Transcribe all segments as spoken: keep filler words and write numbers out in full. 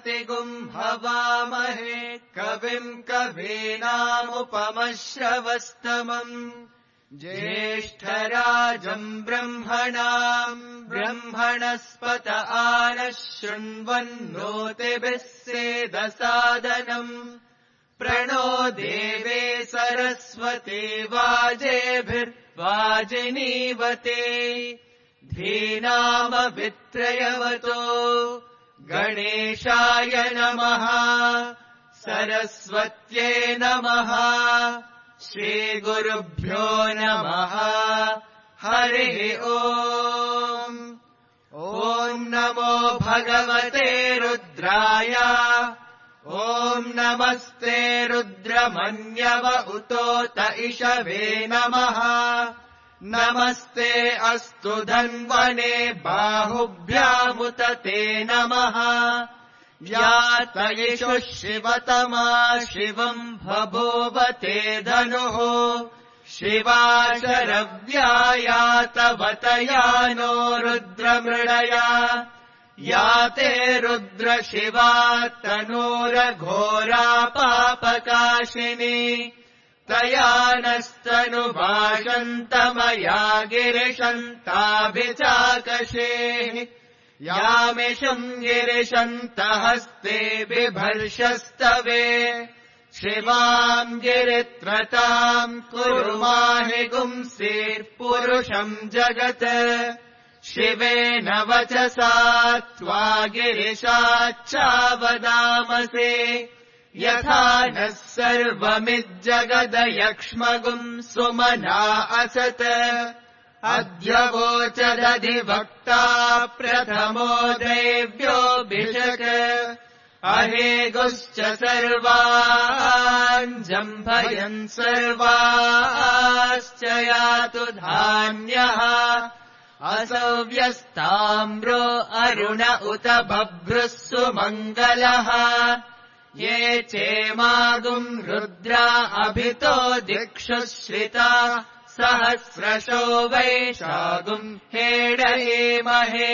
प्रतिगुम् हवामहे कविम् कवीनामुपमश्रवस्तमम् ज्येष्ठराजम् ब्रह्मणाम् ब्रह्मणस्पत आनः शृण्वन्नोतिभिः सेदसादनम् प्रणो देवे सरस्वती वाजेभिर्वाजिनीवते धीनामभित्रयवतो गणेशाय नमः सरस्वत्यै नमः श्रीगुरुभ्यो नमः हरिः ओम् ॐ नमो भगवते रुद्राय ॐ नमस्ते रुद्रमन्यव उतोत इषवे नमः नमस्ते अस्तु धन्वने बाहुभ्यामुत ते नमः यातयिषु शिवतमा शिवम् बभूवते धनुः शिवा शरव्यायातवतया नो रुद्रमृडया याते रुद्र शिवा तनूरघोरा पापकाशिनी तया नस्तनुभाषन्तमया गिरिशन्ताभिचाकशेः यामिषम् गिरिशन्तहस्ते बिभर्षस्तवे शिवाम् गिरित्रताम् कुरु माहि गुंसीर्पुरुषम् जगत् शिवेन वचसा त्वा गिरिशाच्चावदामसे यथा नः सर्वमिज्जगदयक्ष्मगुम् सुमना असत् अद्य वोचदधिवक्ता प्रथमो दैव्योऽभिषक् अहेगुश्च सर्वान् जम्भयन् सर्वाश्च यातु धान्यः असव्यस्ताम्रो अरुण उत बभ्रुः सुमङ्गलः ये चेमागुम् रुद्रा अभितो दिक्षु श्रिता सहस्रशो वैशागुम् हेडयेमहे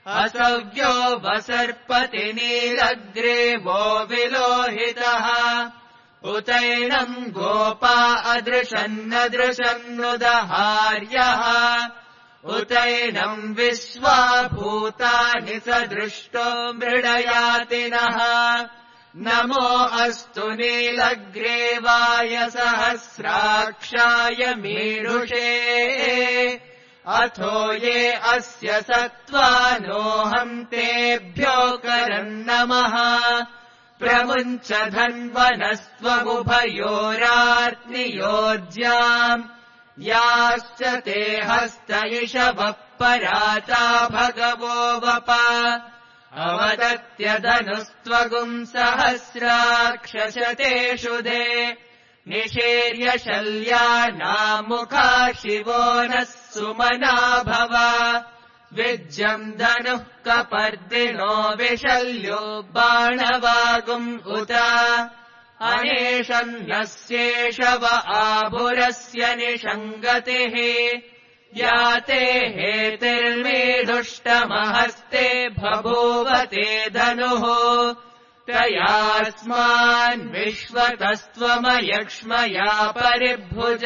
असव्यो वसर्पति नीलग्रीवो विलोहितः उतैनम् गोपा अदृशन्नदृशन्नुदहार्यः उतैनम् विश्वा भूतानि सदृष्टो मृडयातिनः नमो अस्तु नीलग्रीवाय सहस्राक्षाय मीढुषे अथो ये अस्य सत्त्वानोऽहम् तेभ्यो करन्नमः प्रमुञ्च धन्वनस्त्वमुभयोरार्त्नियोज्याम् याश्च ते हस्त इषवः पराता भगवो वप अवदत्यधनुस्त्वगुम् सहस्राक्षशतेषु दे निषेर्य शल्यानामुखा शिवो नः सुमना भव विज्यम् धनुः कपर्दिनो विशल्यो बाणवागुम् उत अनेशन्नस्येषव आभुरस्य निषङ्गतिः याते हेतिर्मेधुष्टमहस्ते बभूवते धनुः तयास्मान् विश्वतस्त्वमयक्ष्मया परिभुज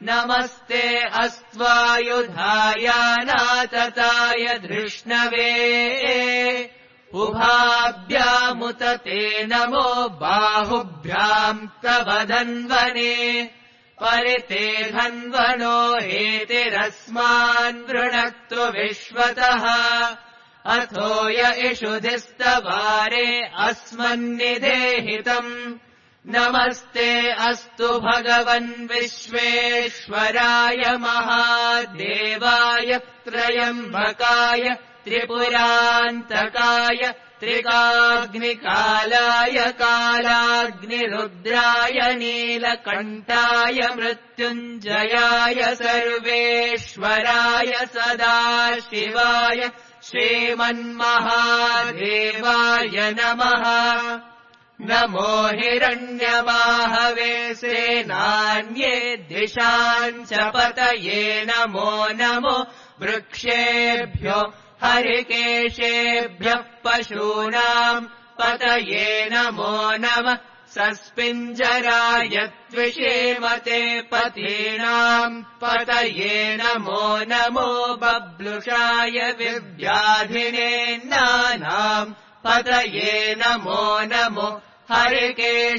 नमस्ते अस्त्वायुधायानातताय धृष्णवे उभाभ्यामुत ते नमो बाहुभ्याम् तव धन्वने परिते धन्वनो हेतिरस्मान् वृणक्तु विश्वतः अथो य इषुधिस्तवारे अस्मन्निदेहितम् नमस्ते अस्तु भगवन् विश्वेश्वराय महादेवाय त्रयम्बकाय त्रिपुरान्तकाय त्रिकाग्निकालाय कालाग्निरुद्राय नीलकण्ठाय मृत्युञ्जयाय सर्वेश्वराय सदाशिवाय श्रीमन्महादेवाय नमः नमो हिरण्यबाहवे सेनान्ये दिशाम् च पतये नमो नमो वृक्षेभ्यो हरिकेशेभ्यः पशूनाम् पतये नमो नमः सस्पिञ्जराय त्विषेमते पतीनाम् पतये नमो नमो बब्लुषाय विव्याधिनेन्नानाम् पतये नमो नमो हरिकेशायोपवीतिने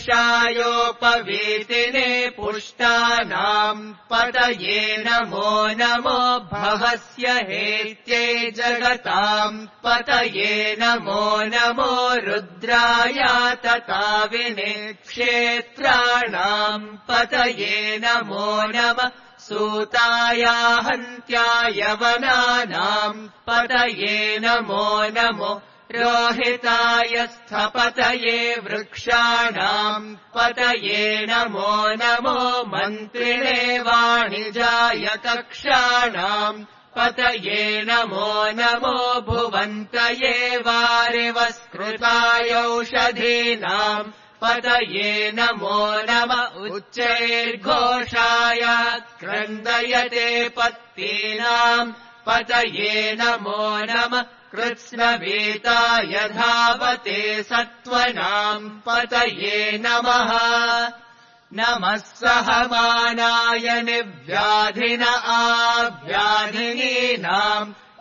पुष्टानाम् पतये नमो नमो भवस्य हेत्यै जगताम् पतये नमो नमो रुद्रायातताविने क्षेत्राणाम् पतये नमो नमः सूताया हन्त्याय वनानाम् पतये नमो नमो रोहिताय स्थपतये वृक्षाणाम् पतये नमो नमो मन्त्रिणे वाणिजाय कक्षाणाम् पतये नमो नमो भुवन्तये वारिवस्कृतायौषधीनाम् पतये नमो नम उच्चैर्घोषाय क्रन्दयते पत्तीनाम् पतये नमो नमः कृत्स्नवेताय धावते सत्त्वनाम् पतये नमः नमः सहमानाय निव्याधिन आव्याधिनीनाम्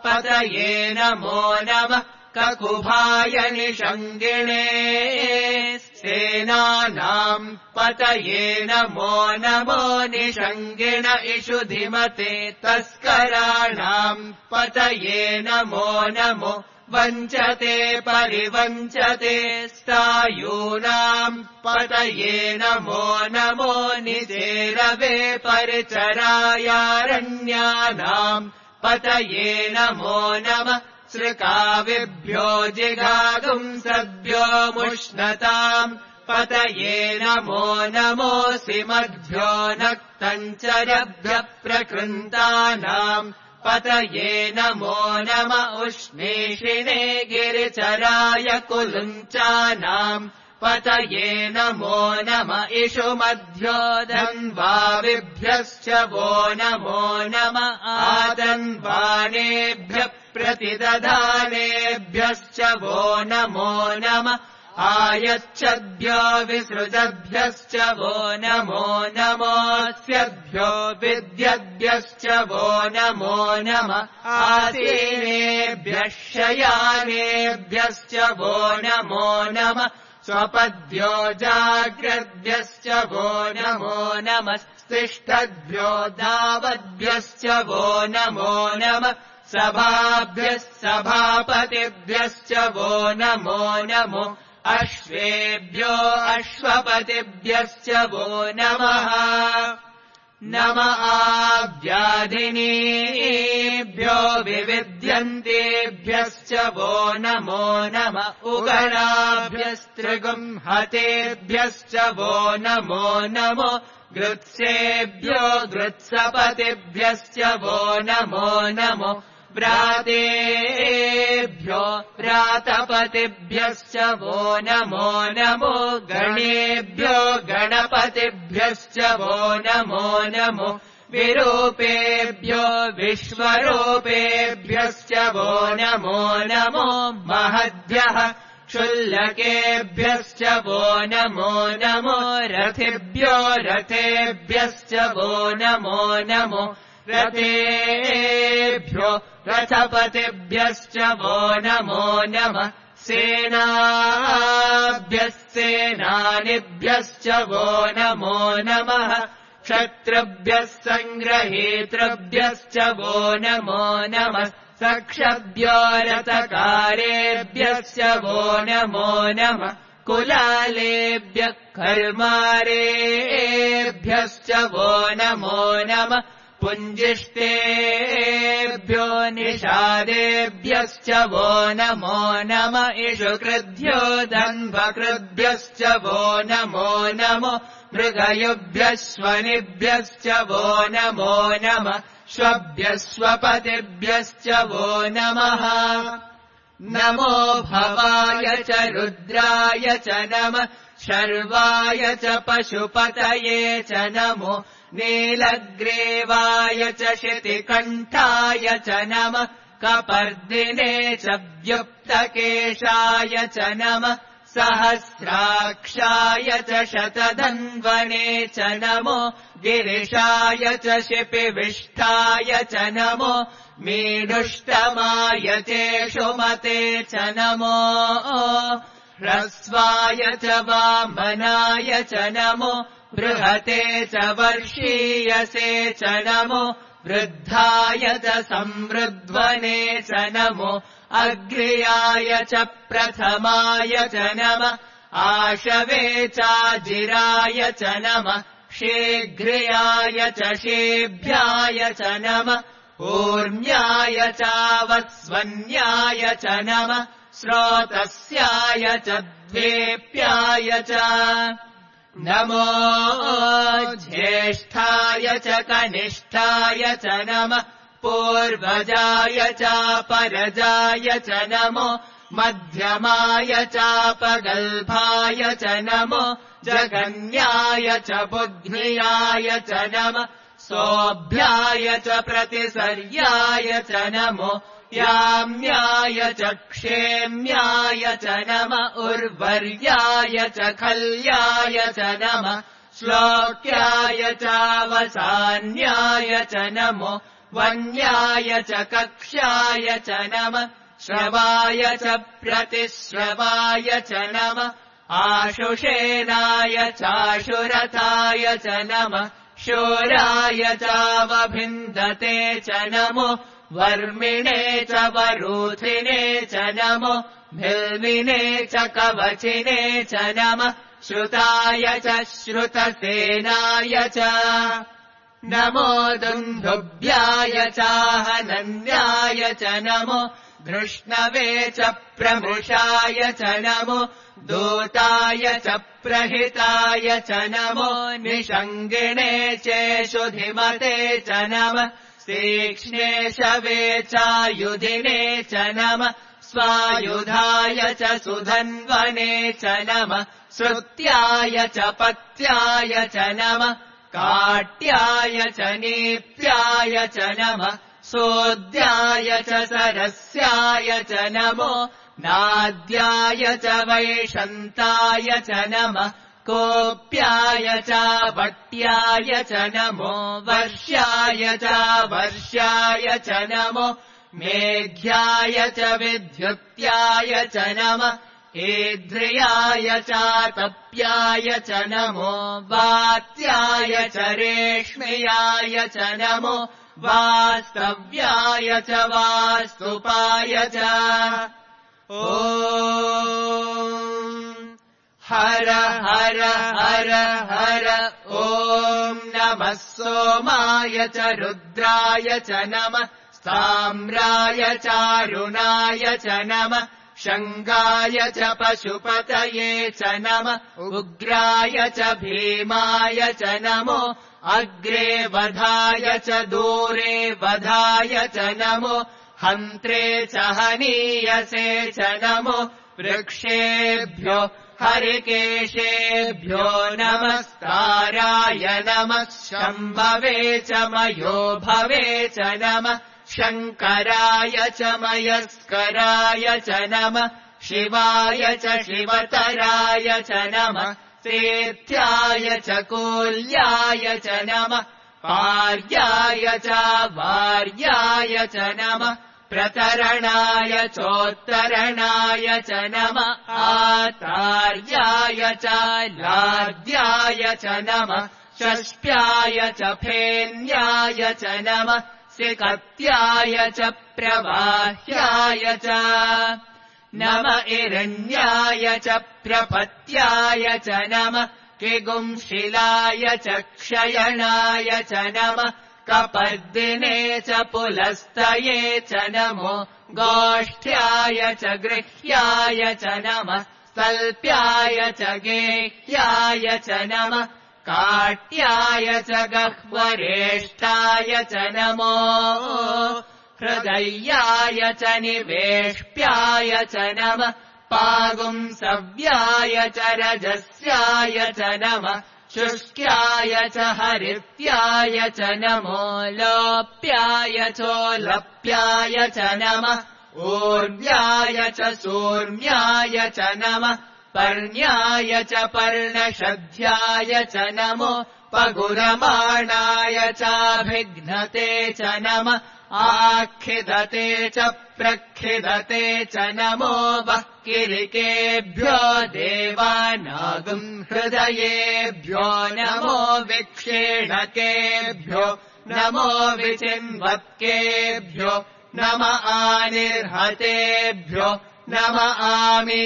पतये नमो नमः ककुभाय निषङ्गिणे सेनानाम् पतये नमो नमो निषङ्गिण इषुधिमते तस्कराणाम् पतये नमो नमो वञ्चते परिवञ्चते स्थायूनाम् पतये नमो नमो निसेरवे परिचरायारण्यानाम् पतये नमो नमः सृकाविभ्यो जिगागुंसद्भ्यो मुष्णताम् पतये नमो नमोऽसि मद्भ्यो नक्तञ्चरभ्यः प्रकृन्तानाम् पतये नमो नम उष्णीषिणे गिरिचराय कुलुञ्चानाम् पतये नमो नम इषुमध्यो धन्वाविभ्यश्च वो नमो नम आदन्वानेभ्यः प्रतिदधानेभ्यश्च वो नमो नम आयच्छद्भ्यो विसृजद्भ्यश्च वो नमो नमोऽस्यद्भ्यो विद्यद्भ्यश्च वो नमो नम आसीनेभ्यः शयानेभ्यश्च वो नमो नम स्वपद्भ्यो जाग्रद्भ्यश्च वो नमो नमस्तिष्ठद्भ्यो धावद्भ्यश्च वो नमो नमः सभाभ्यः सभापतिभ्यश्च वो नमो नमो अश्वेभ्यो अश्वपतिभ्यश्च वो नमः नम आव्याधिनीभ्यो विविध्यन्तेभ्यश्च वो नमो नम उगणाभ्यस्त्रिगुंहतेभ्यश्च वो नमो नमो गृत्सेभ्यो गृत्सपतिभ्यश्च वो नमो नमो व्रातेभ्यो व्रातपतिभ्यश्च वो नमो नमो गणेभ्यो गणपतिभ्यश्च वो नमो नमो विरूपेभ्यो विश्वरूपेभ्यश्च वो नमो नमो महद्भ्यः क्षुल्लकेभ्यश्च वो नमो नमो रथिभ्यो रथेभ्यश्च वो नमो नमो रथेभ्यो रथपतिभ्यश्च वो नमो नमः सेनाभ्यः सेनानिभ्यश्च वो नमो नमः क्षत्रुभ्यः सङ्ग्रहेतृभ्यश्च वो नमो नमः सक्षभ्यो रथकारेभ्यश्च वो नमो नमः कुलालेभ्यः कर्मारेभ्यश्च वो नमो नमः पुञ्जिष्टेभ्यो निषादेभ्यश्च वो नमो नम इषुकृद्भ्यो दन्भकृद्भ्यश्च वो नमो नमो मृगयुभ्यः स्वनिभ्यश्च वो नमो नमः स्वभ्यस्वपतिभ्यश्च वो नमः नमो भवाय च रुद्राय च नमः शर्वाय च पशुपतये च नमो नीलग्रीवाय च शितिकण्ठाय च नमः कपर्दिने च व्युक्तकेशाय च नमः सहस्राक्षाय च शतधन्वने च नमो गिरिशाय च शिपिविष्ठाय च नमो मीडुष्टमाय चेषुमते च नमो ह्रस्वाय च वामनाय च नमो बृहते च वर्षीयसे च नमो वृद्धाय च संवृध्वने च नमो अग्र्याय च प्रथमाय च नमः आशवे चाजिराय च नमः शीघ्र्याय च शेभ्याय च नमः ऊर्म्याय चावस्वन्याय च नमः स्रोतस्याय च द्वेप्याय च नमो ज्येष्ठाय च कनिष्ठाय च नमः पूर्वजाय चापरजाय च नमो मध्यमाय चापगल्भाय च नमो जगन्याय च बुद्ध्याय च नमः सोऽभ्याय च प्रतिसर्याय च नमो याम्याय च क्षेम्याय च नमः उर्वर्याय च खल्याय च नमः श्लोक्याय चावसान्याय च नमो वन्याय च कक्ष्याय च नमः श्रवाय च प्रतिश्रवाय च नमः आशुषेनाय चाशुरथाय च नमः शूराय चावभिन्दते च नमो वर्मिणे च वरूथिने च नमो भिल्विने च कवचिने च नमः श्रुताय च श्रुतसेनाय च नमो दुन्दुभ्याय चाहनन्याय च नमो धृष्णवे च प्रमुषाय च नमो दूताय च प्रहिताय च नमो निषङ्गिणे चेषुधिमते च नमः तीक्ष्णे शवे चायुधिने च नमः स्वायुधाय च सुधन्वने च नमः श्रुत्याय च पत्याय च नमः काट्याय च नीप्याय च नमः सोद्याय च सरस्याय च नमो नाद्याय च वैशन्ताय च नमः कोप्याय च वट्याय च नमो वर्ष्याय च वर्ष्याय च नमो मेघ्याय च विद्युत्याय च नमः ईद्रियाय चातप्याय च नमो वात्याय च रेष्म्याय च नमो वास्तव्याय च वास्तुपाय च ॐ हर हर हर हर ॐ नमः सोमाय च रुद्राय च नमः साम्राय चारुणाय च नमः शङ्गाय च पशुपतये च नमः उग्राय च भीमाय च नमो अग्रे वधाय च दूरे वधाय च नमो हन्त्रे च हनीयसे च नमो वृक्षेभ्यो हरिकेशेभ्यो नमस्काराय नमः शम्भवे च मयो भवे च नमः शङ्कराय च मयस्कराय च नमः शिवाय च शिवतराय च नमः सेत्याय च कोल्याय च नमः पार्याय च वार्याय च नमः प्रतरणाय चोत्तरणाय च नमः आतार्याय च लाद्याय च नमः षष्ट्याय च फेन्याय च नमः सिकत्याय च प्रवाह्याय च नम इरण्याय च प्रपत्याय च नमः किगुंशिलाय च क्षयणाय च नमः कपर्दिने च पुलस्तये च नमो गोष्ठ्याय च गृह्याय च नमः सल्प्याय च गेह्याय च नमः काट्याय च गह्वरेष्ठाय च नमो हृदयाय च निवेष्ट्याय च नमः पागुंसव्याय च रजस्याय च नमः शुष्क्याय च हरित्याय च नमो लोप्याय चोलप्याय च नमः ऊर्व्याय च सूर्म्याय च नमः पर्ण्याय च पर्णशध्याय च नमो पगुरमाणाय चाभिघ्नते च नमः आखिदते च प्रखिदते च नमो वह्किलिकेभ्यो देवानागं हृदयेभ्यो नमो विक्षेणकेभ्यो नमो विचिन्वत्केभ्यो नम आनिर्हतेभ्यो नम आमीवत्केभ्यः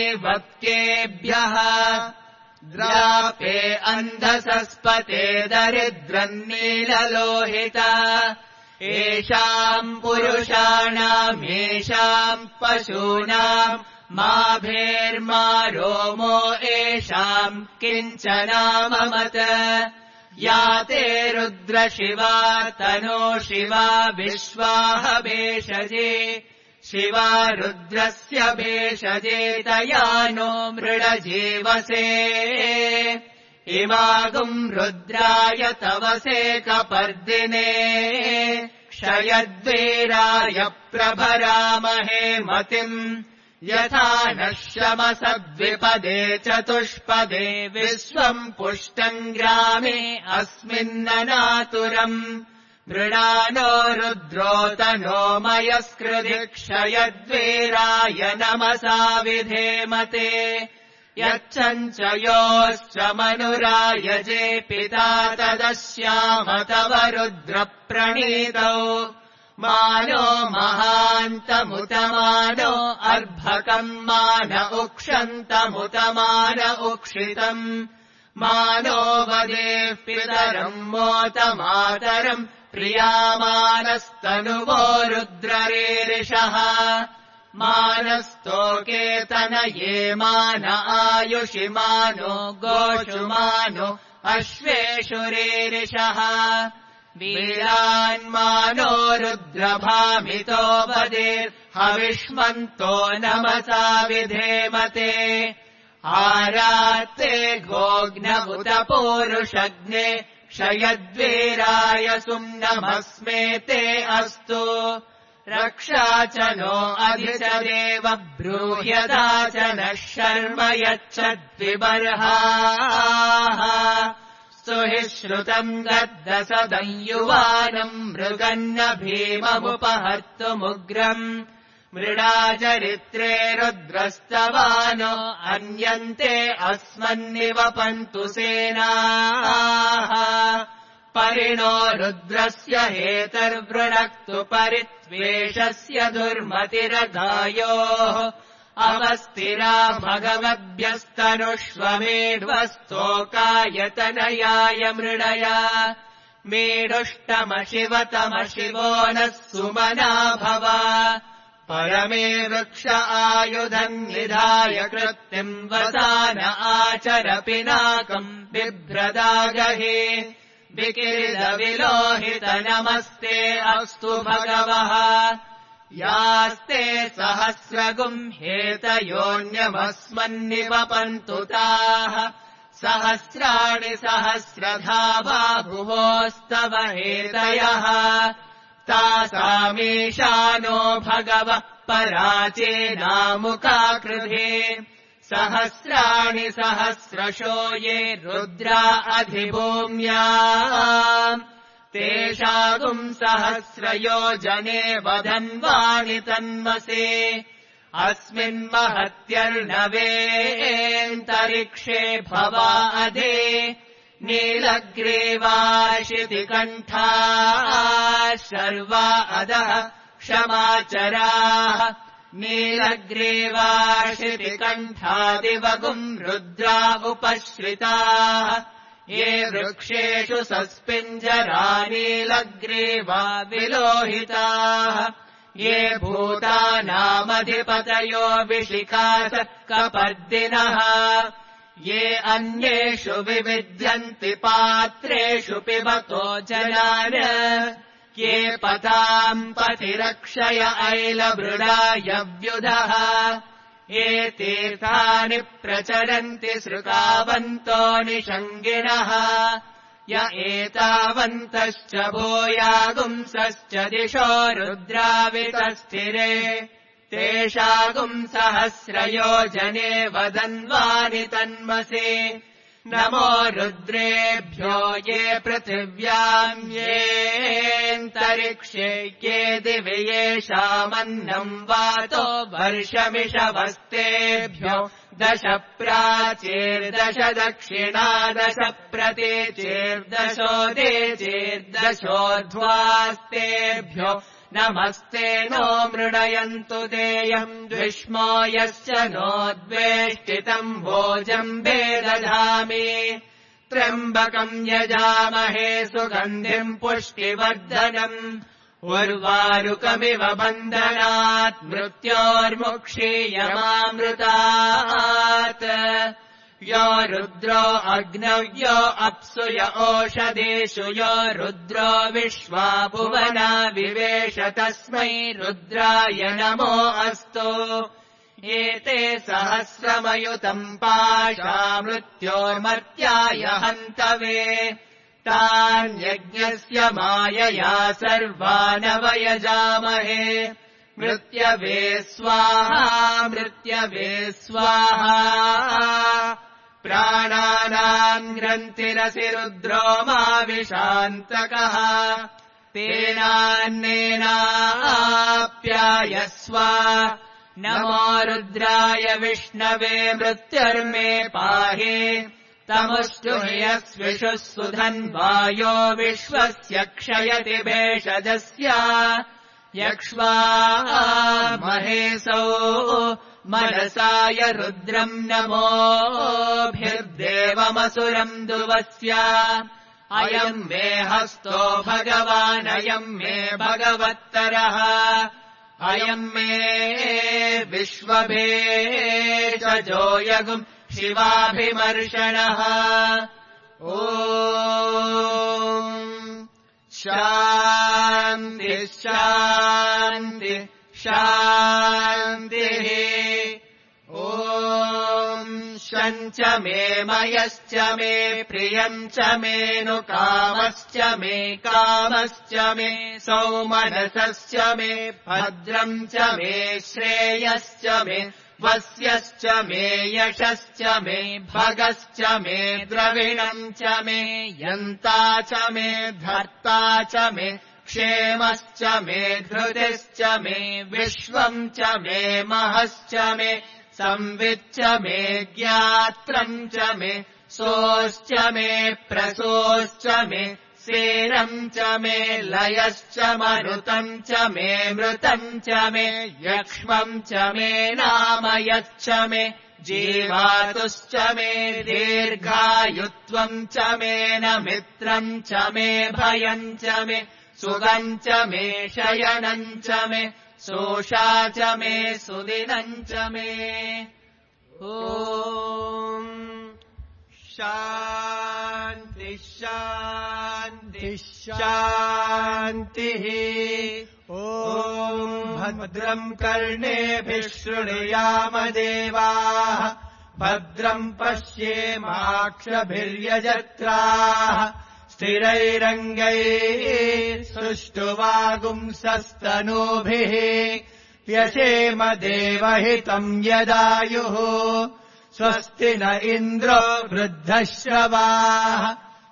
द्रापे अन्धसस्पते दरिद्रन्नीललोहिता येषाम् पुरुषाणाम् येषाम् पशूनाम् माभेर्मा रोमो येषाम् किञ्चनाममत या ते रुद्रशिवा तनो शिवा विश्वाह भेषजे शिवा रुद्रस्य भेषजे तया नो मृडजीवसे इमागुम् रुद्राय तवसे कपर्दिने क्षयद्वीराय प्रभरामहे मतिम् यथा नः शमसद्विपदे चतुष्पदे विश्वम् पुष्टम् ग्रामे अस्मिन्ननातुरम् मृणानो रुद्रोतनो मयस्कृधि क्षयद्वीराय नमसा विधेमते यच्चञ्चयोश्च मनुरायजे पिता तदस्याम तव रुद्रप्रणीतौ मानो महान्तमुतमानो अर्भकम् मान उक्षन्तमुतमान उक्षितम् मानो वदेः पितरम् मोतमातरम् प्रियामानस्तनुवो रुद्ररीरिषः मानस्तोकेतनये मान आयुषि मानो गोषु मानो अश्वेषु रीरिषः वीरान्मानो रुद्रभामितो वदेर्हविष्मन्तो नमसा विधेमते आरात्ते गोग्नमुत पूरुषग्ने क्षयद्वीराय सुम्नमस्मे ते अस्तु रक्षा च नो अधिचदेव ब्रूह्यता च नः शर्म यच्छद्विबर्हाः स्तुहि श्रुतम् गद्दसदम् युवानम् मृगन्न भीममुपहर्तुमुग्रम् मृडाचरित्रे रुद्रस्तवानो अन्यन्ते अस्मन्निवपन्तु सेनाः परिणो रुद्रस्य हेतर्वृणक्तु परित्वेषस्य दुर्मतिरगायोः अवस्तिरा भगवद्भ्यस्तनुष्वमेध्वस्तोकायतनयाय मृडया मेडुष्टमशिवतमशिवो नः सुमना भव परमे वृक्ष आयुधम् निधाय कृत्तिम् वसान आचर पिनाकम् बिभ्रदागहे विकिरिदविलोहित नमस्ते अस्तु भगवः यास्ते सहस्रगुम् हेतयोऽन्यमस्मन्निवपन्तु ताः सहस्राणि सहस्रधा बाहुवोस्तव हेतयः तासामीशानो भगवः पराचेनामुकाकृधे सहस्राणि सहस्रशो ये रुद्रा अधिभूम्याम् तेषागुम् सहस्रयोजने वधन्वाणि तन्मसे अस्मिन्महत्यर्णवेऽन्तरिक्षे भवा अधे नीलग्रीवाशितिकण्ठाः शर्वा अधः क्षमाचराः नीलग्रीवाशितिकण्ठादिवगुम् रुद्रा उपश्रिताः ये वृक्षेषु सस्पिञ्जरा नीलग्रीवा विलोहिताः ये भूतानामधिपतयो विशिखास कपर्दिनः ये अन्येषु विविध्यन्ति पात्रेषु पिबतो जलान ये पताम् पतिरक्षय ऐलमृडाय व्युधः ये तीर्थानि प्रचरन्ति श्रुतावन्तो निषङ्गिणः य एतावन्तश्च भूयागुंसश्च दिशो रुद्रावितस्थिरे तेषागुंसहस्रयोजने वदन्वानि तन्मसि नमो रुद्रेभ्यो ये पृथिव्याम् येऽन्तरिक्षे ये दिवि येषामन्नम् वातो वर्षमिषवस्तेभ्यो दश प्राचीर्दश दक्षिणा दश प्रतीचीर्दशोदीचीर्दशोध्वास्तेभ्यो नमस्ते नो मृडयन्तु देयम् द्विष्मो यश्च नोद्वेष्टितम् भोजम्बे दधामि त्र्यम्बकम् यजामहे सुगन्धिम् पुष्टिवर्धनम् उर्वारुकमिव बन्धनात् मृत्योर्मुक्षीयमामृतात् यो रुद्रो अग्नव्यो अप्सु य ओषधेषु यो रुद्रो विश्वा भुवना विवेश तस्मै रुद्राय नमो अस्तु एते सहस्रमयुतम् पाशा मृत्योर्मर्त्याय हन्तवे तान्यज्ञस्य मायया सर्वानवयजामहे मृत्यवे स्वाहा मृत्यवे स्वाहा प्राणानाम् ग्रन्थिरसि रुद्रो माविशान्तकः तेनान्नेनाप्यायस्व नमो रुद्राय विष्णवे मृत्युर्मे पाहि तमुष्टुह्यस्विषुः सुधन्वायो विश्वस्य क्षयति भेषजस्य यक्ष्वा महेशौ मनसाय रुद्रम् नमोभिर्देवमसुरम् दुवस्य अयम् मे हस्तो भगवान् अयम् मे भगवत्तरः अयम् मे विश्वभेषजो यगुम् शिवाभिमर्शनः ॐ शान्ति शान्ति शान्तिः ॐ शञ्च मे मयश्च मे प्रियम् च मेऽनुकामश्च मे कामश्च मे सौमनसश्च मे भद्रम् च मे श्रेयश्च मे वस्यश्च मे यशश्च मे भगश्च मे द्रविणम् च मे यन्ता च मे धर्ता च मे क्षेमश्च मे धृतिश्च मे विश्वम् च मे महश्च मे संविच्च मे ज्ञात्रम् च मे सोश्च मे प्रसोश्च मे सेनम् च मे लयश्च मरुतम् च मे मृतम् च मे यक्ष्मम् च मे नामयच्च मे जीवातुश्च मे दीर्घायुत्वम् च मे न मित्रम् च मे भयम् च मे सुगम् च मे शयनम् च मे सोषा च मे सुदिनम् च मे ॐ शान्ति शान्ति शान्तिः ॐ भद्रम् कर्णेभिः शृणुयाम देवाः भद्रम् पश्येमाक्षभिर्यजत्राः स्थिरैरङ्गैः सुष्ठुवागुंसस्तनूभिः व्यशेम देवहितम् यदायुः स्वस्ति न इन्द्रो वृद्धश्रवाः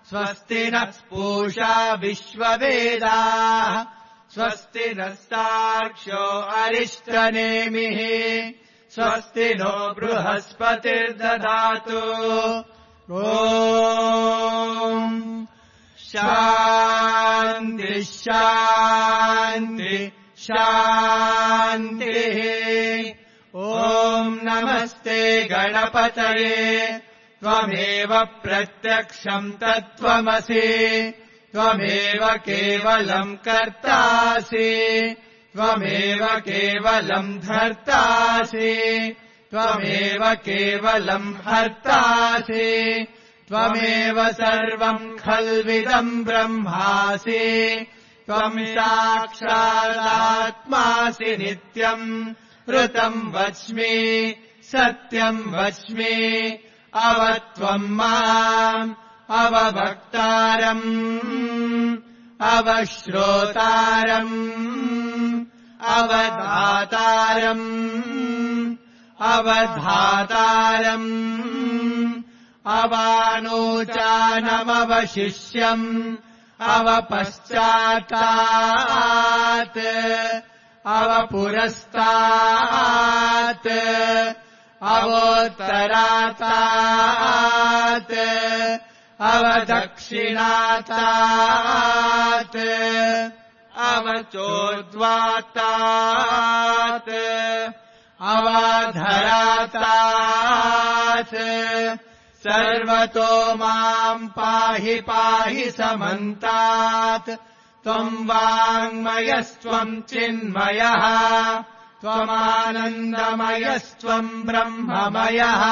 स्वस्ति नः पूषा विश्ववेदाः स्वस्ति नः साक्ष्यो अरिष्टनेमिः स्वस्ति नो बृहस्पतिर्दधातु ॐ शान्ति शान्ति शान्तिः ॐ नमस्ते गणपतये त्वमेव प्रत्यक्षम् तत्त्वमसि त्वमेव केवलम् कर्तासि त्वमेव केवलम् धर्तासि त्वमेव केवलम् हर्तासि त्वमेव सर्वम् खल्विदम् ब्रह्मासि त्वम् साक्षादात्मासि नित्यम् ऋतम् वच्मि सत्यम् वच्मि अवत्वम् माम् अववक्तारम् अवश्रोतारम् अवधातारम् अवधातारम् अवानोचानमवशिष्यम् अवपश्चात्तात् अवपुरस्तात् अवोत्तरातात् अवदक्षिणातात् अवचोद्वातात् अवाधरातात् सर्वतो माम् पाहि पाहि समन्तात् त्वम् वाङ्मयस्त्वम् चिन्मयः त्वमानन्दमयस्त्वम् ब्रह्ममयः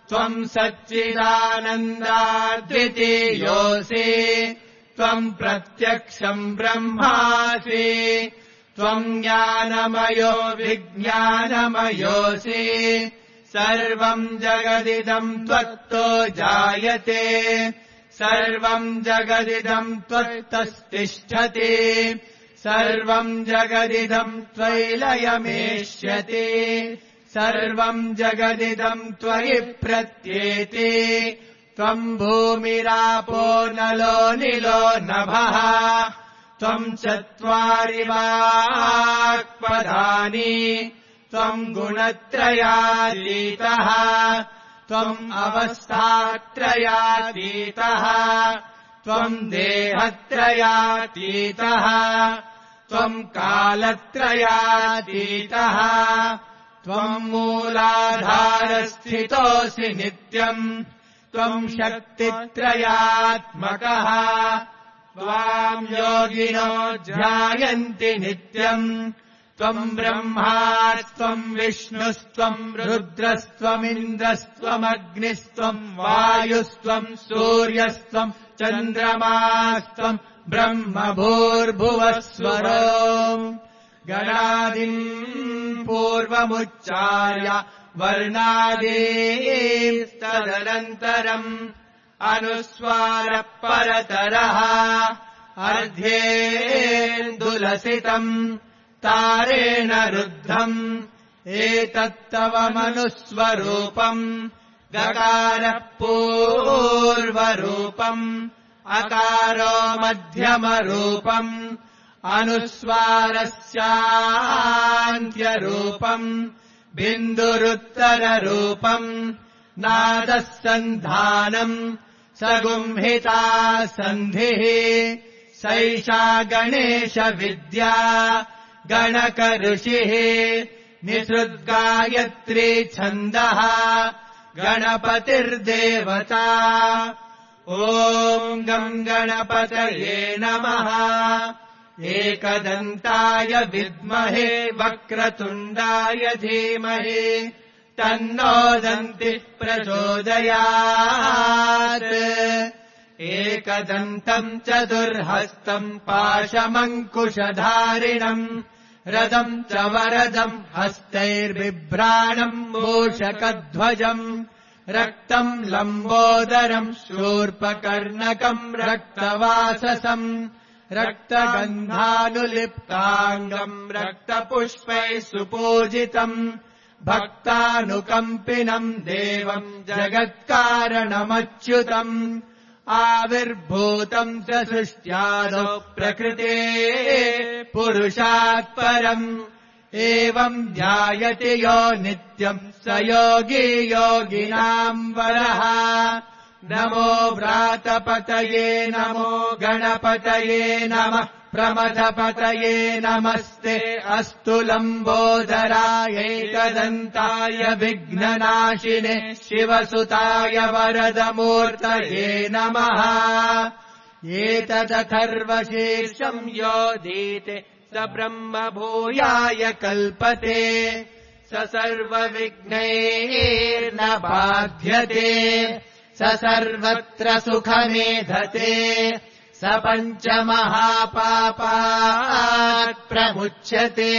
त्वम् सच्चिदानन्दाद्वितीयोऽसि त्वम् प्रत्यक्षम् ब्रह्मासि त्वम् ज्ञानमयो विज्ञानमयोऽसि सर्वम् जगदिदम् त्वत्तो जायते सर्वम् जगदिदम् त्वत्तस्तिष्ठति सर्वम् जगदिदम् त्वयिलयमेष्यति सर्वम् जगदिदम् त्वयि प्रत्येति त्वम् भूमिरापो नलो निलो नभः त्वम् चत्वारि वाक्पदानि त्वम् गुणत्रयातीतः त्वम् अवस्थात्रयातीतः त्वम् देहत्रयातीतः त्वम् कालत्रयातीतः त्वम् मूलाधारस्थितोऽसि नित्यम् त्वम् शक्तित्रयात्मकः त्वाम् योगिनो ध्यायन्ति नित्यम् त्वम् ब्रह्मा त्वम् विष्णुस्त्वम् रुद्रस्त्वमिन्द्रस्त्वमग्निस्त्वम् वायुस्त्वम् सूर्यस्त्वम् चन्द्रमास्त्वम् ब्रह्म भूर्भुवस्वरो गणादिम् पूर्वमुच्चार्य वर्णादीस्तदनन्तरम् अनुस्वारः परतरः अर्ध्येन्दुलसितम् तारेण रुद्धम् एतत्तव मनुस्वरूपम् गकारः पूर्वरूपम् अकारो मध्यमरूपम् अनुस्वारस्यान्त्यरूपम् बिन्दुरुत्तररूपम् नादः सन्धानम् सगुंहिता सन्धिः सैषा गणेशविद्या गणकऋषिः निसृद्गायत्री छन्दः गणपतिर्देवता ॐ गम् गणपतये नमः एकदन्ताय विद्महे वक्रतुण्डाय धीमहि तन्नो दन्तिः प्रचोदयात् एकदन्तम् चतुर्हस्तम् पाशमङ्कुशधारिणम् रदम् च वरदम् हस्तैर्बिभ्राणम् मूषकध्वजम् रक्तम् लम्बोदरम् शूर्पकर्णकम् रक्तवाससम् रक्तगन्धानुलिप्ताङ्गम् रक्तपुष्पैः सुपूजितम् भक्तानुकम्पिनम् देवम् जगत्कारणमच्युतम् आविर्भूतम् च सृष्ट्यादौ प्रकृते पुरुषात् परम् एवम् ध्यायति यो नित्यम् स योगी योगिनाम् वरः नमो व्रातपतये नमो गणपतये नमः प्रमथपतये नमस्ते अस्तु लम्बोदराय एकदन्ताय विघ्ननाशिने शिवसुताय वरदमूर्तये नमः एतदथर्वशीर्षम् योदीते स ब्रह्म भूयाय कल्पते स सर्वविघ्नैर्न बाध्यते स सर्वत्र सुखमेधते स पञ्चमहापापात् प्रमुच्यते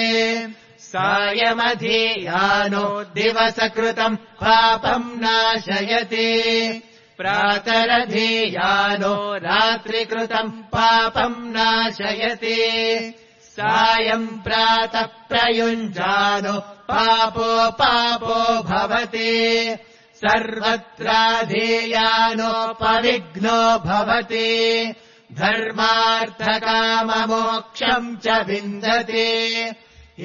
सायमधीयानो दिवसकृतम् पापम् नाशयति प्रातरधीयानो रात्रिकृतम् पापम् नाशयति सायम् प्रातः प्रयुञ्जानो पापो पापो भवति सर्वत्राधीयानो पविघ्नो भवति धर्मार्थकाममोक्षम् च विन्दति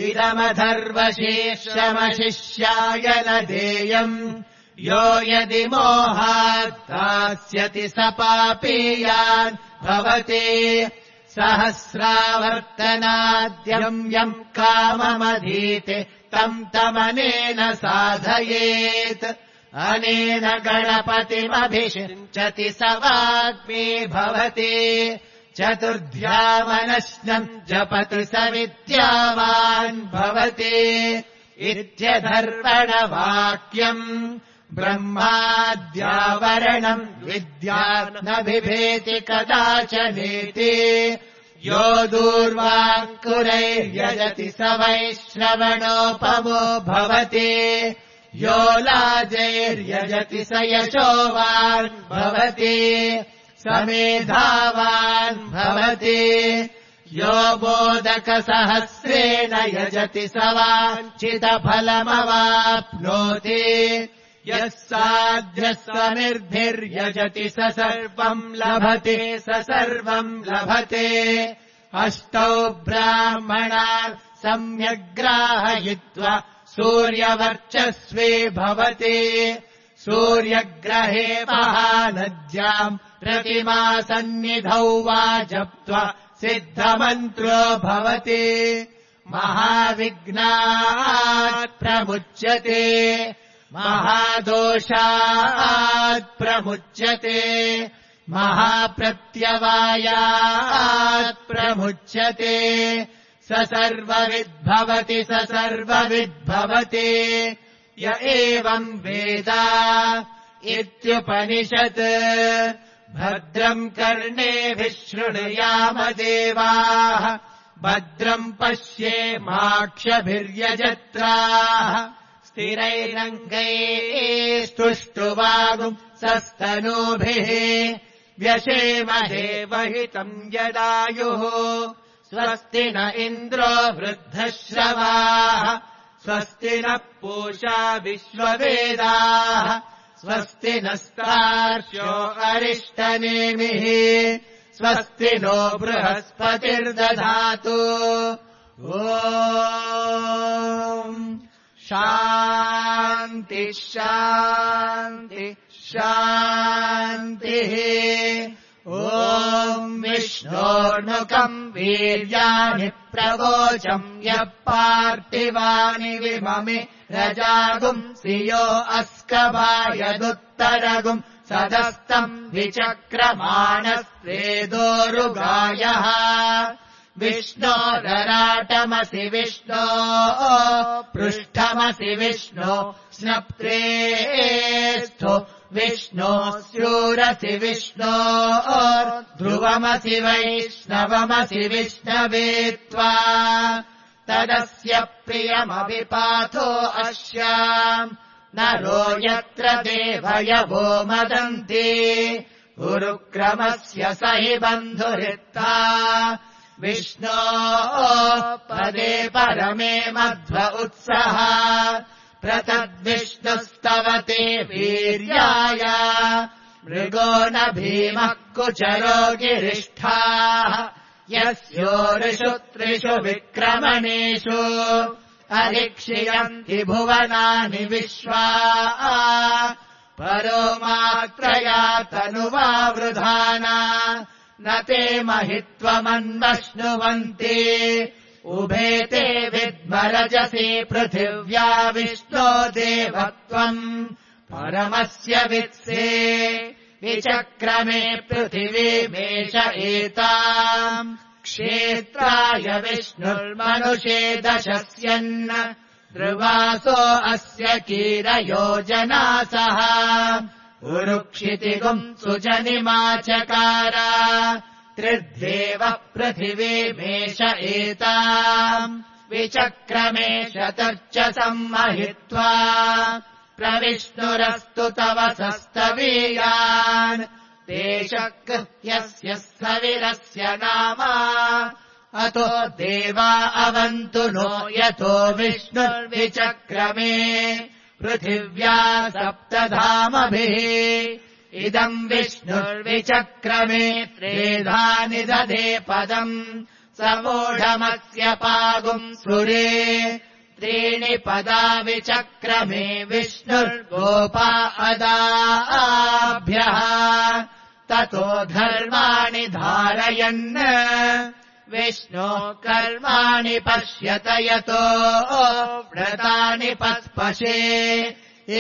इदमधर्वशीर्षमशिष्याय न देयम् यो यदि मोहात् दास्यति स पापीयान् भवति सहस्रावर्तनाद्यम् यम् काममधीते तम् तमनेन साधयेत् अनेन गणपतिमभिषिञ्चति स वाग्मी भवति चतुर्ध्यामनश्नम् जपति स विद्यावान् भवति इत्यधर्वणवाक्यम् ब्रह्माद्यावरणम् विद्या न बिभेति कदाचनेति यो दूर्वाङ्कुरैर्यजति स वैश्रवणोपमो भवति यो लाजैर्यजति स यशोवान् भवति समेधावान् भवति यो मोदकसहस्रेण यजति स वाञ्छितफलमवाप्नोति यः साध्यस्वनिर्भिर्यजति स सर्वम् लभते स सर्वम् लभते अष्टौ ब्राह्मणान् सम्यग्राहयित्वा सूर्यवर्चस्वी भवति सूर्यग्रहे महानद्याम् प्रतिमासन्निधौ वा जप्त्वा सिद्धमन्त्रो भवति महाविघ्नात् प्रमुच्यते महादोषात् प्रमुच्यते महाप्रत्यवायात् प्रमुच्यते स सर्वविद्भवति स सर्वविद्भवति य एवम् वेद इत्युपनिषत् भद्रम् कर्णेभिः शृणुयाम देवाः भद्रम् पश्येमाक्षभिर्यजत्राः स्थिरैरङ्गैस्तुष्टुवागुम् सस्तनूभिः व्यशेमहेवहितम् यदायुः स्वस्ति न इन्द्रो वृद्धश्रवाः स्वस्ति नः पूषा विश्ववेदाः स्वस्ति नस्तार्क्ष्यो अरिष्टनेमिः स्वस्ति नो बृहस्पतिर्दधातु ॐ शान्ति शान्ति शान्तिः ॐ विष्णोर्नुकम् वीर्याणि प्रवोचम् यः पार्थिवानि विममे रजागुंसि यो अस्कभायदुत्तरगुम् सदस्तम् विचक्रमाणस्त्रेदोरुगायः विष्णोरराटमसि विष्णो पृष्ठमसि विष्णो स्नप्त्रेस्थो विष्णो स्यूरसि विष्णो ध्रुवमसि वैष्णवमसि विष्णवे त्वा तदस्य प्रियमविपाथो अस्याम् नरो यत्र देवयवो मदन्ति गुरुक्रमस्य स हि बन्धुरित्ता विष्णो पदे परमे मध्व उत्सः प्रतद्विष्णुस्तवते वीर्याय मृगो न भीमः कुचरो गिरिष्ठाः यस्योरिषु त्रिषु विक्रमणेषु अरिक्षियन्ति भुवनानि विश्वा परो मात्रया तनुवावृधाना न ते महित्वमन्वश्नुवन्ति उभे ते विद्मरजसि पृथिव्या विष्णो देवत्वम् परमस्य वित्से विचक्रमे पृथिवीमेष एताम् क्षेत्राय विष्णुर्मनुषे दशस्यन् ध्रुवासो अस्य कीरयोजनासः उरुक्षितिगुम् सुजनिमाचकार त्रिद्देवः पृथिवीमेष एताम् विचक्रमे शतर्च सम्महित्वा प्रविष्णुरस्तु तव सस्तवीयान् ते शक्यस्य स्थविरस्य नाम अतो देवा अवन्तु नो यतो विष्णुर्विचक्रमे पृथिव्या सप्तधामभिः इदम् विष्णुर्विचक्रमे त्रेधा निदधे पदम् समूढमस्य पागुम् सुरे त्रीणि पदा विचक्रमे विष्णुर्गोपा अदाभ्यः ततो धर्माणि धारयन् विष्णो कर्माणि पश्यत यतो व्रतानि पस्पशे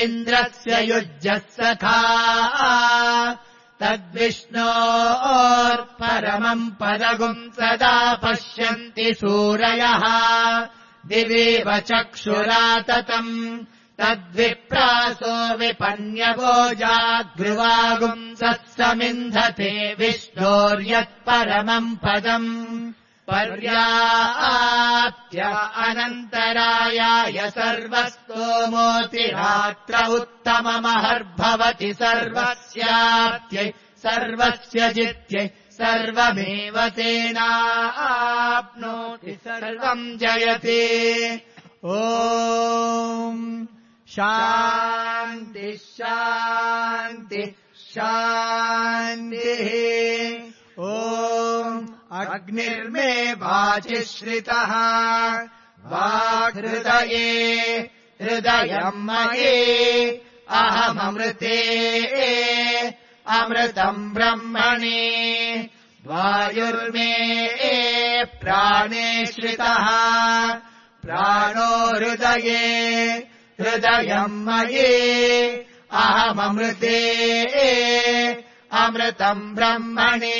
इन्द्रस्य युज्यः सखा तद्विष्णोर्परमम् पदगुम् सदा पश्यन्ति सूरयः दिवीव चक्षुराततम् तद्विप्रासो विपन्यवो जाग्रुवागुम् सत्समिन्धते विष्णोर्यत्परमम् पदम् पर्याप्त्य अनन्तरायाय सर्वस्तोमोतिरात्र उत्तममहर्भवति सर्वस्याप्त्यै सर्वस्य जित्यै सर्वमेव तेनाप्नोति सर्वम् जयते ॐ शान्ति शान्ति शान्तिः ॐ अग्निर्मे वाचि श्रितः वाक्हृदये हृदयम् मये अहममृते अमृतम् ब्रह्मणे वायुर्मे प्राणे श्रितः प्राणो हृदये हृदयम् मये अहममृते अमृतम् ब्रह्मणे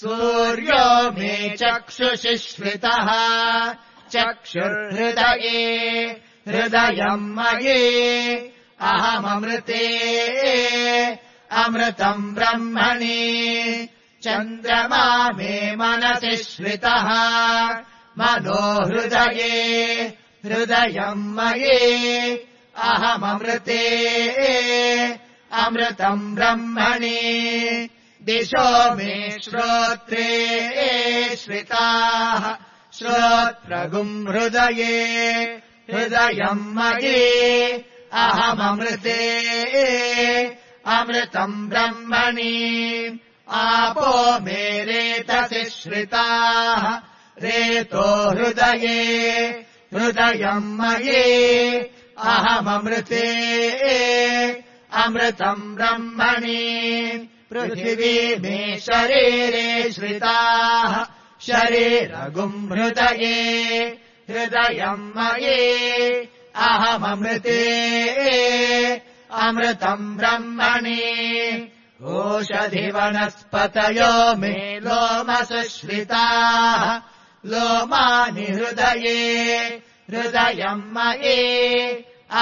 सूर्यो मे चक्षुषि श्रितः चक्षुर्हृदये हृदयम् मये अहममृते अमृतम् ब्रह्मणे चन्द्रमा मे मनसि श्रितः मनो हृदये हृदयम् मये अहममृते अमृतम् ब्रह्मणे दिशो मे श्रोत्रे श्रिताः श्रोत्रगुम् हृदये हृदयम् मये अहममृते अमृतम् ब्रह्मणे आपो मे रेतसि श्रिताः रेतो हृदये हृदयम् मये अहममृते अमृतम् ब्रह्मणे पृथिवी मे शरीरे श्रिताः शरीरगुम् हृदये हृदयम् मये अहममृते अमृतम् ब्रह्मणे ओषधिवनस्पतयो मे लोमसुश्रिताः लोमानि हृदये हृदयम् मये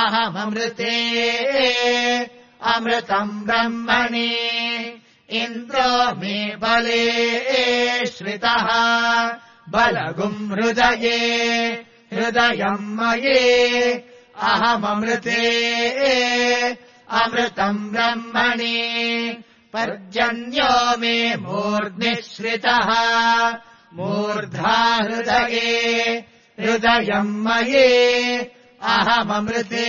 अहममृते अमृतम् ब्रह्मणे इन्द्रो मे बले श्रितः बलगुम् हृदये हृदयम् मये अहममृते अमृतम् ब्रह्मणे पर्जन्यो मे मूर्ध्निश्रितः मूर्धा हृदये हृदयम् मये अहममृते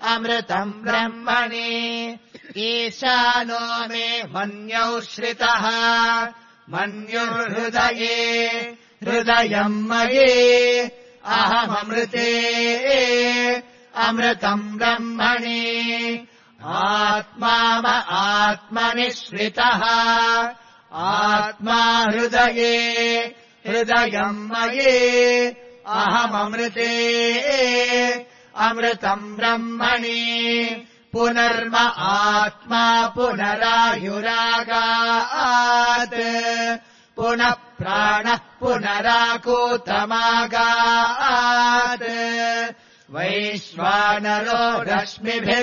अमृतम् ब्रह्मणे ईशानो मे मन्यौ श्रितः मन्युर्हृदये हृदयम् मये अहममृते अमृतम् ब्रह्मणे आत्मा आत्मनि श्रितः आत्मा हृदये हृदयम् मये अहममृते अमृतम् ब्रह्मणे पुनर्म आत्मा पुनरायुरागात् पुनः प्राणः पुनराकूतमागात् वैश्वानरो रश्मिभिर्वावृधानः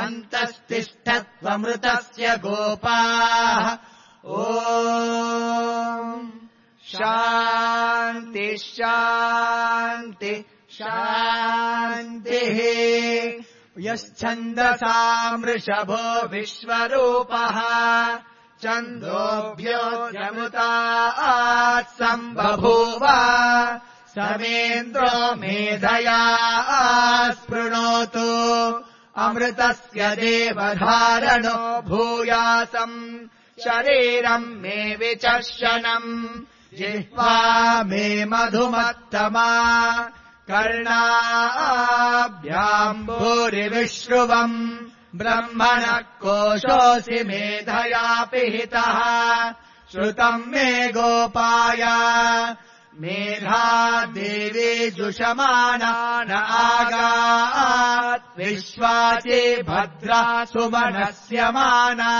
अन्तस्तिष्ठत्वमृतस्य गोपाः ॐ शान्ति शान्ति शान्तिः यश्छन्दसाम् वृषभो विश्वरूपः छन्दोभ्योऽयमुतात् सम्बभूव समेन्द्रो मेधया स्पृणोतु अमृतस्य देवधारणो भूयासम् शरीरम् मे विचर्षणम् जिह्वा मे मधुमत्तमा कर्णाभ्याम् भूरिविश्रुवम् ब्रह्मणः कोशोऽसि मेधया पिहितः श्रुतम् मे गोपाय मेधा देवी जुषमाना न आगात् विश्वासि भद्रा सुमनस्यमाना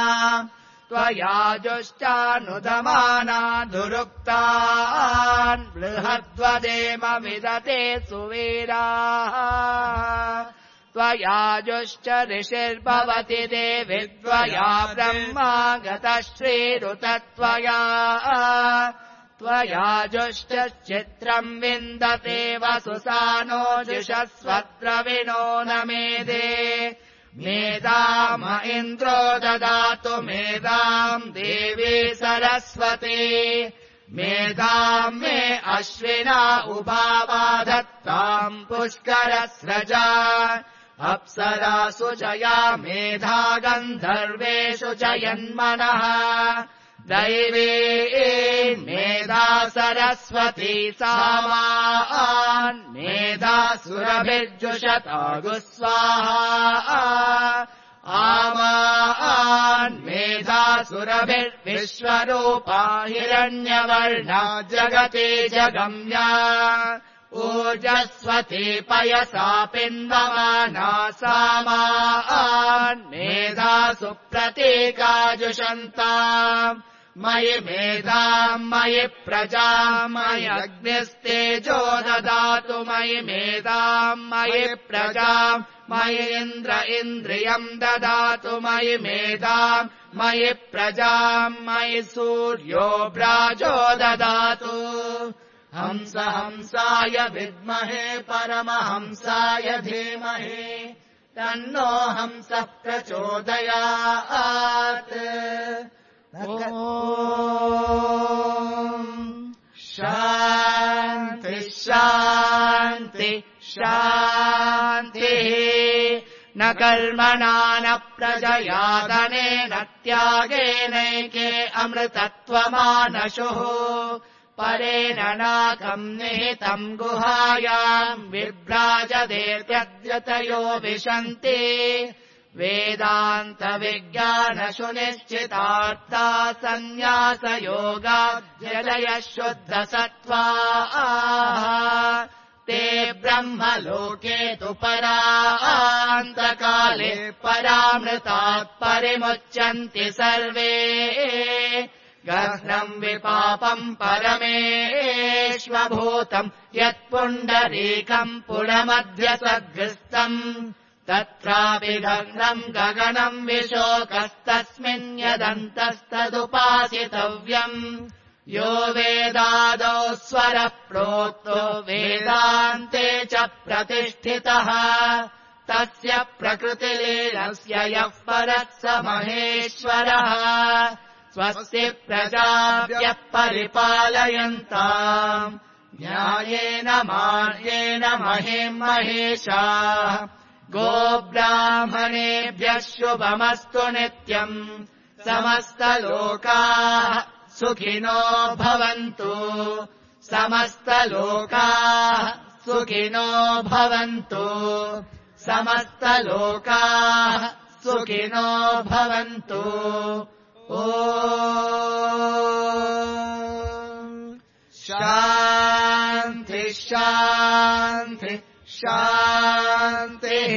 त्वया जुष्टानुदमाना दुरुक्तान् बृहद्वदेम विदते सुवीराः त्वया जुश्च ऋषिर्भवति देवि त्वया ब्रह्मा गतः श्रीरुतत्वया त्वया जुश्च चित्रम् विन्दते वसुसानो जुषस्वद्रविणो न मेधे मेधाम इन्द्रो ददातु मेधाम् देवी सरस्वती मेधाम् मे अश्विना उभावा दत्ताम् पुष्करस्रजा अप्सरासु जया मेधा गन्धर्वेषु जयन्मनः दैवी मेधा सरस्वती सामान् मेधा सुरभिर्जुषता गुस्वाहा आमान् मेधा सुरभिर्विश्वरूपा हिरण्यवर्णा जगति जगम्या ओजस्वती पयसा पिन्वमाना सामान् मेधा सुप्रतीकाजुषन्ताम् मयि मेधाम् मयि प्रजाम् मयि अग्निस्तेजो ददातु मयि मेधाम् मयि प्रजाम् मयि इन्द्र इन्द्रियम् ददातु मयि मेधाम् मयि प्रजाम् मयि सूर्यो व्राजो ददातु हंस हंसाय विद्महे परमहंसाय धीमहि तन्नो हंसः प्रचोदयात् ॐ शान्ति शान्ति शान्तिः न कर्मणा न प्रजया धनेन त्यागेनैके अमृतत्वमानशुः परेण नाकम् निहितम् गुहायाम् विभ्राजदेत्यद्यतयो विशन्ति वेदान्तविज्ञानशु निश्चितार्था सन्न्यासयोगाध्यदयः शुद्धसत्त्वाः ते ब्रह्मलोके तु परान्तकाले परामृतात् परिमुच्यन्ति सर्वे गह्नम् विपापम् परमेष्वभूतम् यत्पुण्डरीकम् पुनमध्यसद्गृस्तम् तत्रापि गह्नम् गगनम् विशोकस्तस्मिन् यदन्तस्तदुपासितव्यम् यो वेदादौ स्वरः प्रोक्तो वेदान्ते च प्रतिष्ठितः तस्य प्रकृतिलीनस्य यः परः स महेश्वरः स्वस्ति प्रजाभ्यः परिपालयन्ताम् न्यायेन मार्गेण महीम् महेशाः गोब्राह्मणेभ्यः शुभमस्तु नित्यम् समस्तलोकाः सुखिनो भवन्तु समस्तलोकाः सुखिनो भवन्तु समस्तलोकाः सुखिनो भवन्तु ॐ शान्ति शान्ति शान्तिः